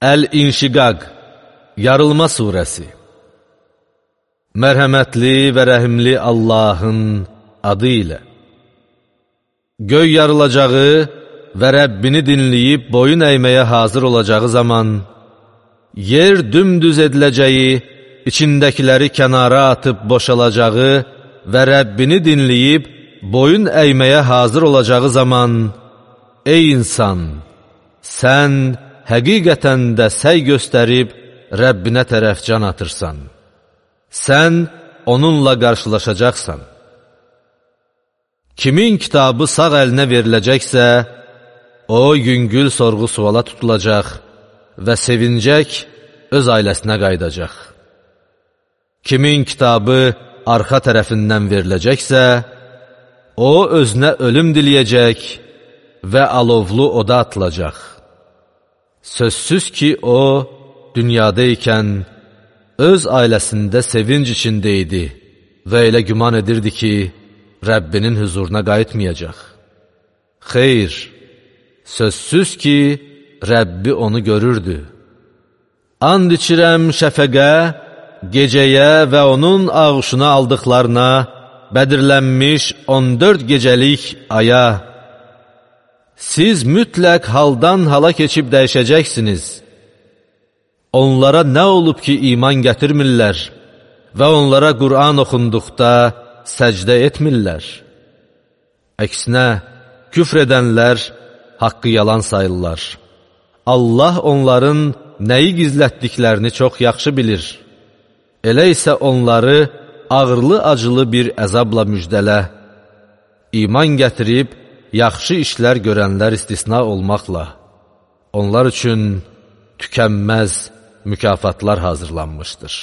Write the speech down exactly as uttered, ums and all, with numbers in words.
Əl-İnşiqaq, Yarılma surəsi. Mərhəmətli və rəhimli Allahın adı ilə. Göy yarılacağı və Rəbbini dinləyib boyun əyməyə hazır olacağı zaman, yer dümdüz ediləcəyi, içindəkiləri kənara atıb boşalacağı və Rəbbini dinləyib boyun əyməyə hazır olacağı zaman, ey insan, sən həqiqətən də səy göstərib Rəbbinə tərəf can atırsan. Sən onunla qarşılaşacaqsan. Kimin kitabı sağ əlinə veriləcəksə, o yüngül sorğu-suala tutulacaq və sevincək öz ailəsinə qaydacaq. Kimin kitabı arxa tərəfindən veriləcəksə, o özünə ölüm diləyəcək və alovlu oda atılacaq. Sözsüz ki, o, dünyadaykən öz ailəsində sevinc içində idi və elə güman edirdi ki, Rəbbinin huzuruna qayıtmayacaq. Xeyr, sözsüz ki, Rəbbi onu görürdü. And içirəm şəfəqə, gecəyə və onun ağuşuna aldıqlarına, bədirlənmiş on dörd gecəlik aya, siz mütləq haldan hala keçib dəyişəcəksiniz. Onlara nə olub ki, iman gətirmirlər və onlara Qur'an oxunduqda səcdə etmirlər. Əksinə, küfr edənlər haqqı yalan sayırlar. Allah onların nəyi gizlətdiklərini çox yaxşı bilir. Elə isə onları ağırlı-acılı bir əzabla müjdələ, iman gətirib, yaxşı işlər görənlər istisna olmaqla, onlar üçün tükənməz mükafatlar hazırlanmışdır.